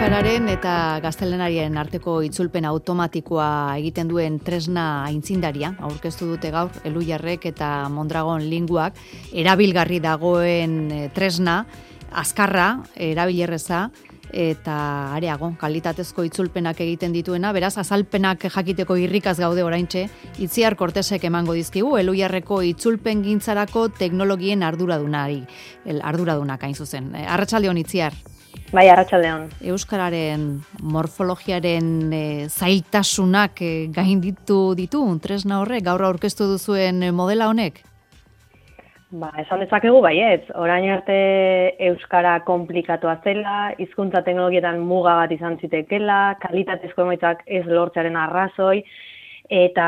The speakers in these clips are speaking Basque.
Euskararen eta gaztelenarien arteko itzulpen automatikoa egiten duen tresna aitzindaria aurkeztu dute gaur Elhuyarrek eta Mondragon Linguak, erabilgarri dagoen tresna, azkarra, erabilerreza eta areago kalitatezko itzulpenak egiten dituena, beraz azalpenak jakiteko irrikaz gaude oraintxe, Itziar Kortesek emango dizkigu Elhuyarreko itzulpengintzarako teknologien arduradunak hain zuzen. Arratsalde on, Itziar. Bai, arratsaldeon. Euskararen morfologiaren zailtasunak gainditu ditu tresna horrek, gaur aurkeztu duzuen modela honek? Esan dezakegu baietz. Orain arte euskara konplikatua zela, hizkuntza teknologietan muga bat izan zitekela, kalitatezko emaitzak ez lortzearen arrazoi, eta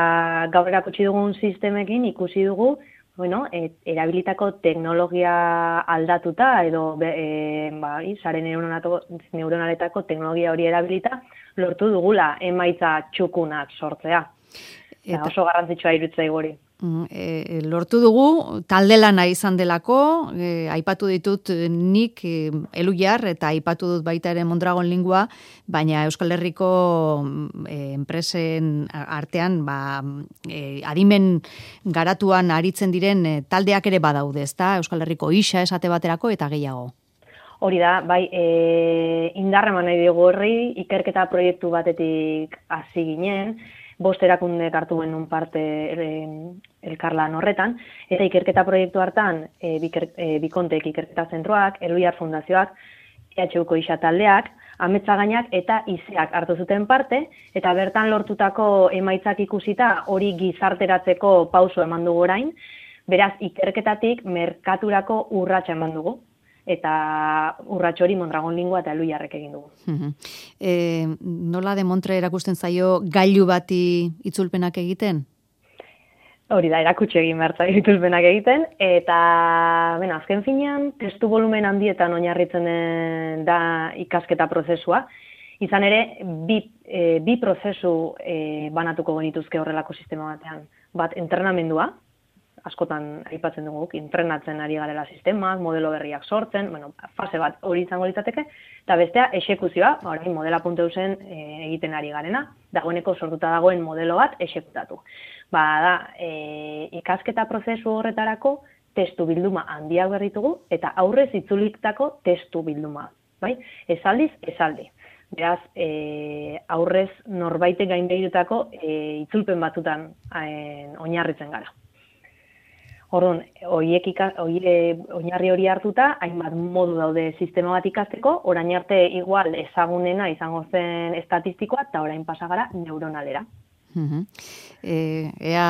gaur erakutsi dugun sistemekin ikusi dugu erabilitako teknologia aldatuta edo sare neuronaletako teknologia hori erabilita lortu dugula emaitza txukunak sortzea. Eta oso garrantzitsua iruditzen hori. Lortu dugu, talde lana izan delako, aipatu ditut nik Elhuyar eta aipatu dut baita ere Mondragon Lingua, baina Euskal Herriko enpresen artean adimen garatuan aritzen diren taldeak ere badaude, ezta? Euskal Herriko isa esate baterako eta gehiago. Hori da, indarra eman nahi dugu horri, ikerketa proiektu batetik hasi ginen, 5 erakundek hartu genuen parte elkarlan horretan, eta ikerketa proiektu hartan Bikontek ikerketa zentroak, Elhuyar Fundazioak, EHUko isa taldeak, Ametsagainak eta ISEak hartu zuten parte, eta bertan lortutako emaitzak ikusita hori gizarteratzeko pauso eman dugu orain, beraz ikerketatik merkaturako urratsa eman dugu. Eta urrats hori Mondragon Lingua eta Elhuyarrek egin dugu. Nola demontre erakusten zaio gailu bati itzulpenak egiten? Hori da, erakutsi egin behar zaio itzulpenak egiten, eta azken finean testu volumen handietan oinarritzen da ikasketa prozesua. Izan ere, bi prozesu banatuko genituzke horrelako sistema batean. Bat, entrenamendua, askotan aipatzen dugu, entrenatzen ari garela sistemak, modelo berriak sortzen, fase bat hori izango litzateke, eta bestea, exekuzioa, orain modela.eusen egiten ari garena, dagoeneko sortuta dagoen modelo bat exekutatu. Ikasketa prozesu horretarako testu bilduma handiak berritugu, eta aurrez itzuliktako testu bilduma. Esaldiz, esaldi. Beraz, aurrez norbaitek gainbegirutako itzulpen batzutan oinarritzen gara. Orduan, oinarri hori hartuta, hainbat modu daude sistema bat ikasteko, orain arte igual ezagunena izango zen estatistikoa, eta orain pasagara neuronalera. Ea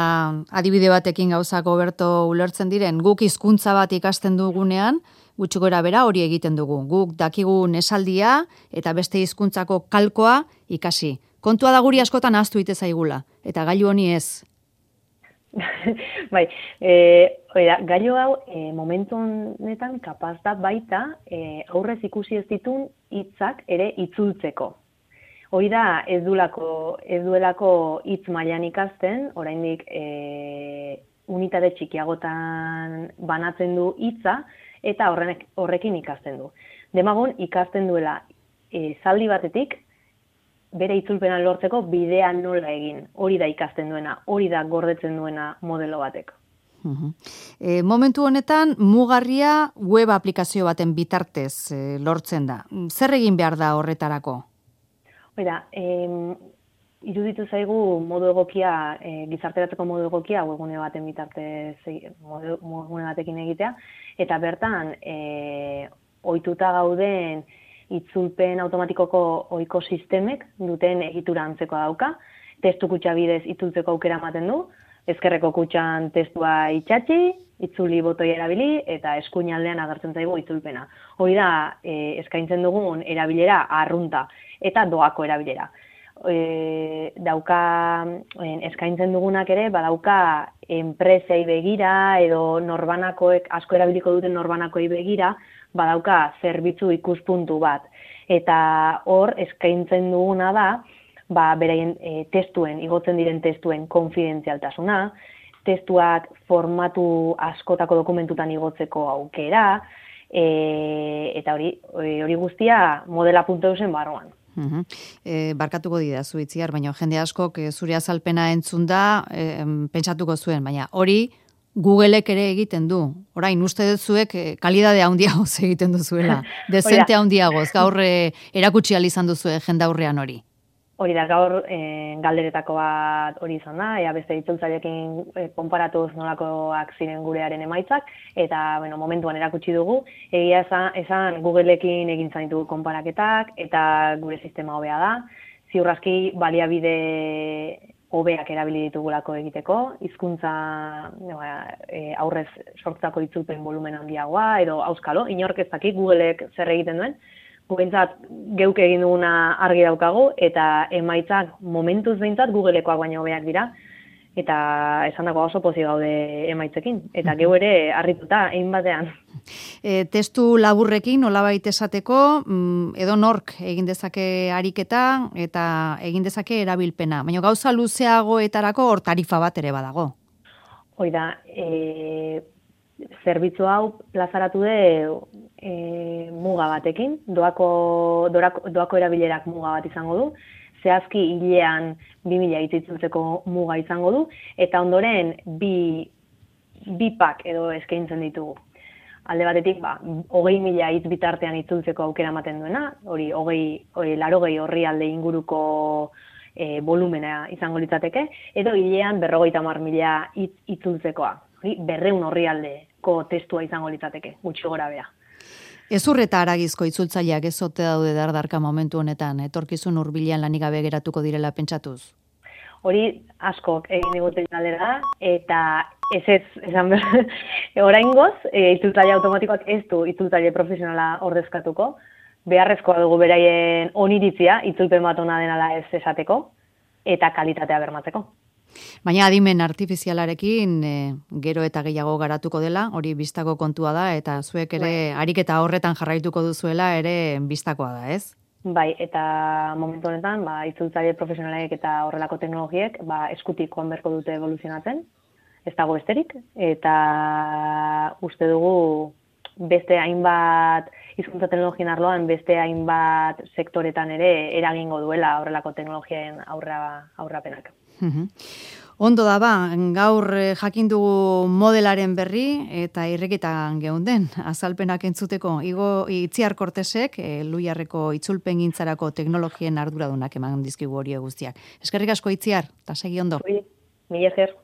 adibide batekin gauzako berto ulertzen diren, guk hizkuntza bat ikasten dugunean, gutxi gora bera hori egiten dugu. Guk dakigun esaldia eta beste hizkuntzako kalkoa ikasi. Kontua da guri askotan ahaztu ite zaigula, eta gailu honi ez. Gailu hau momentu honetan kapaz da baita aurrez ikusi ez ditun hitzak ere itzultzeko. Hori da ez duelako hitz mailan ikasten, oraindik unitate txikiagotan banatzen du hitza eta horrekin ikasten du. Demagun ikasten duela zaldi batetik bere itzulpena lortzeko bidea nola egin. Hori da ikasten duena, hori da gordetzen duena modelo batek. Momentu honetan, mugarria web aplikazio baten bitartez lortzen da. Zer egin behar da horretarako? Iruditu zaigu modu egokia, gizarteratzeko modu egokia webgune baten bitartez, webgune batekin egitea, eta bertan, ohituta gauden itzulpen automatikoko ohiko sistemek duten egitura antzekoa dauka, testu kutxa bidez itzultzeko aukera ematen du, ezkerreko kutxan testua itxatxi, itzuli botoi erabili, eta eskuin aldean agertzen zaigu itzulpena. Hori da, eskaintzen dugun erabilera arrunta eta doako erabilera. Eskaintzen dugunak ere, badauka enpresei begira edo norbanakoek, asko erabiliko duten norbanakoei begira, badauka zerbitzu ikuspuntu bat. Eta hor, eskaintzen duguna da, beraien igotzen diren testuen konfidentzialtasuna, testuak formatu askotako dokumentutan igotzeko aukera, eta hori guztia modela.eusen barruan. Barkatuko didazu Itziar, baina jende askok zure azalpena entzun da, pentsatuko zuen, baina hori Googleek ere egiten du. Orain, uste dut zuek kalidade handiagoz egiten duzuela. Dezente handiagoz, gaur erakutsi ahal izan duzu jendaurrean hori. Hori da, gaur galderetako bat hori izan da, beste itzultzaileekin konparatuz nolakoak ziren gurearen emaitzak, eta momentuan erakutsi dugu, egia esan Googleekin egin zain ditugu konparaketak, eta gure sistema hobea da, ziur aski baliabide hobeak erabili ditugulako egiteko, hizkuntza aurrez sortutako itzulpen volumen handiagoa, edo auskalo, inork ez dakit Googleek zer egiten duen, gubentzat geuk egin duguna argi daukagu, eta emaitzak momentuz behintzat Googleekoak baino hobeak dira, eta esan dago oso pozik gaude emaitzekin, eta geu ere harrituta, egin batean. Testu laburrekin, nolabait esateko, edo nork egin dezake ariketa, eta egin dezake erabilpena, baina gauza luzeagoetarako hor tarifa bat ere badago. Hoi da, zerbitzu hau plazaratu muga batekin, doako erabilerak muga bat izango du, zehazki hilean 2000 hitz itzultzeko muga izango du, eta ondoren bi pak edo eskaintzen ditugu. Alde batetik, 20.000 hitz bitartean itzultzeko aukera ematen duena, hori 80 orrialde inguruko volumena izango litzateke, edo hilean 50.000 hitz itzultzekoa. 200 orrialdeko testua izango litzateke, gutxi gora bera. Ezur eta haragizko itzultzaileak ez ote daude dardarka momentu honetan, etorkizun hurbilean lanik gabe geratuko direla pentsatuz? Hori askok egin diguten galdera, eta esan behar, oraingoz, itzultzaile automatikoak ez du itzultzaile profesionala ordezkatuko, beharrezkoa dugu beraien oniritzia, itzulpen bat ona denala ez esateko, eta kalitatea bermatzeko. Baina adimen artifizialarekin gero eta gehiago garatuko dela, hori bistako kontua da, eta zuek ere ariketa horretan jarraituko duzuela ere bistakoa da, ez? Bai, eta momentu honetan, itzultzaile profesionalek eta horrelako teknologiek eskutik joan beharko dute evoluzionatzen, ez dago besterik, eta uste dugu beste hainbat hizkuntza teknologien arloan, beste hainbat sektoretan ere eragingo duela horrelako teknologien aurrapenak. Ondo da gaur jakin dugu modelaren berri eta irreketan geunden azalpenak entzuteko Itziar Kortesek Elhuyarreko itzulpengintzarako teknologien arduradunak eman dizkigu hori guztiak. Eskerrik asko Itziar, eta segi ondo. Mila esker.